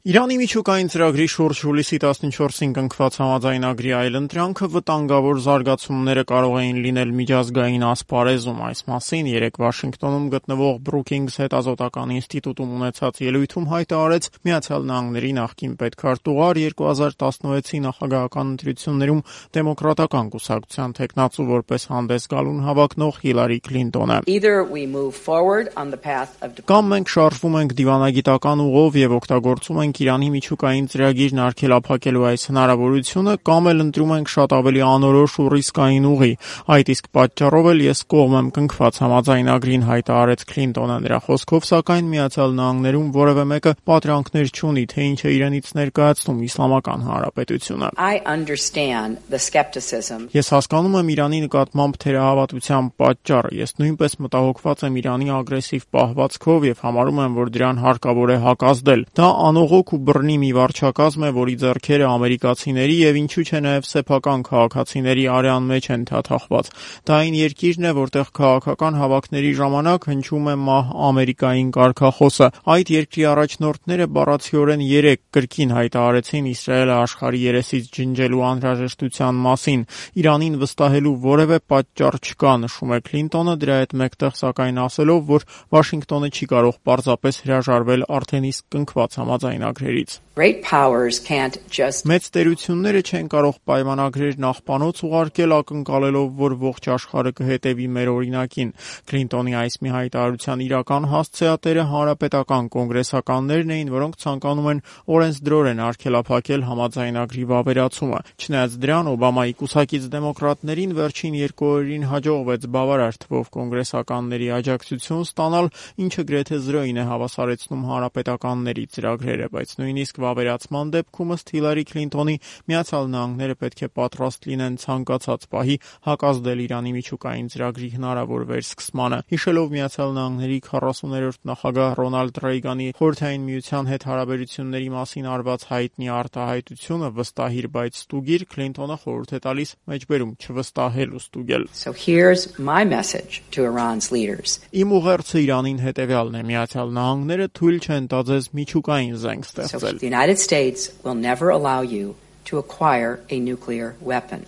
Իրանի միջուկային ծրագրի շուրջ հուլիսի 14-ին կնքված համաձայնագրի այլընտրանքը վտանգավոր զարգացումները կարող էին լինել միջազգային ասպարեզում։ Այս մասին երեկ Վաշինգտոնում գտնվող Brookings հետազոտական ինստիտուտում ունեցած ելույթում հայտարարեց Միացյալ Նահանգների նախկին պետքարտուղար 2016-ի նախագահական ընտրություններում դեմոկրատական կուսակցության թեկնածու որպես հանդես գալուն հավակնող Հիլարի Քլինտոնը։ Կամ մենք շարժվում ենք դիվանագիտական ուղով եւ օգտագործում ենք Իրանի միջուկային ծրագիրն արգելափակելու այս հնարավորությունը, կամ էլ ընտրում ենք շատ ավելի անորոշ ու ռիսկային ուղի։ Այդ իսկ պատճառով էլ ես կողմ եմ կնքված համաձայնագրին, հայտարարեց Քլինտոնը։ Նրա խոսքով, սակայն Միացյալ Նահանգներում որևէ մեկը պատրանքներ չունի, թե ինչ է իրենից ներկայացնում Իսլամական Հանրապետությունը։ Ես հասկանում եմ Իրանի նկատմամբ թերահավատության պատճառը։ Ես նույնպես մտահոգված եմ Իրանի ագրեսիվ պահվածքով եւ համարում եմ, որ դրան հարկավոր է հակազդել։ Դա անողոք ու բռնի մի վարչակազմ է, որի ձեռքերը ամերիկացիների եւ ինչու՞ չէ նաեւ սեփական քաղաքացիների արյան մեջ են թաթախված։ Դա այն երկիրն է, որտեղ քաղաքական հավաքների ժամանակ հնչում է մահ Ամերիկային կարգախոսը։ Այդ երկրի առաջնորդները բառացիորեն 3 կրկին հայտարարեցին Իսրայելը աշխարհի երեսից ջնջելու անհրաժեշտության մասին։ Իրանին վստահելու որևէ պատճառ չկա, նշում է Քլինտոնը, դրա հետ մեկտեղ սակայն ասելով, որ Վաշինգտոնը չի կարող պարզապես հրաժարվել արդեն իսկ կնքված համաձայնագրերից։ Մեծ տերությունները չեն կարող պայմանագրեր նախպանոց ուղարկել ակնկալելով, որ ողջ աշխարհը կհետևի մեր օրինակին։ Քլինտոնի այս մի հայտարարության իրական հասցեատերը հանրապետական կոնգրեսականներն էին, որոնք ցանկանում են օրենսդրորեն արգելափակել համաձայնագրի վավերացումը։ Չնայած դրան, Օբամայի կուսակից դեմոկրատներին վերջին 2 օրերին հաջողվեց բավարար թվով կոնգրեսականների աջակցություն ստանալ, ինչը գրեթե զրոյին է հավասարեցնում հանրապետականների ծրագրերը, բայց նույնիսկ վավերացման դեպքում ըստ Հիլարի Քլինտոնի Միացյալ Նահանգները պետք է պատրաստ լինեն ցանկացած պահի հակազդել Իրանի միջուկային ծրագրի հնարավոր վերսկսմանը։ Հիշելով Միացյալ Նահանգների 40-րդ նախագահ Ռոնալդ Ռեյգանի Խորհրդային Միության հետ հարաբերությունների մասին արված հայտնի արտահայտությունը վստահիր, բայց ստուգիր, Քլինտոնը խորհուրդ է տալիս մեջբերում չվստահել ու ստուգել։ Իմ ուղերձը Իրանին հետևյալն է. Միացյալ Նահանգները թույլ չեն տա ձեզ միջուկային զենք ստեղծել։ The United States will never allow you to acquire a nuclear weapon.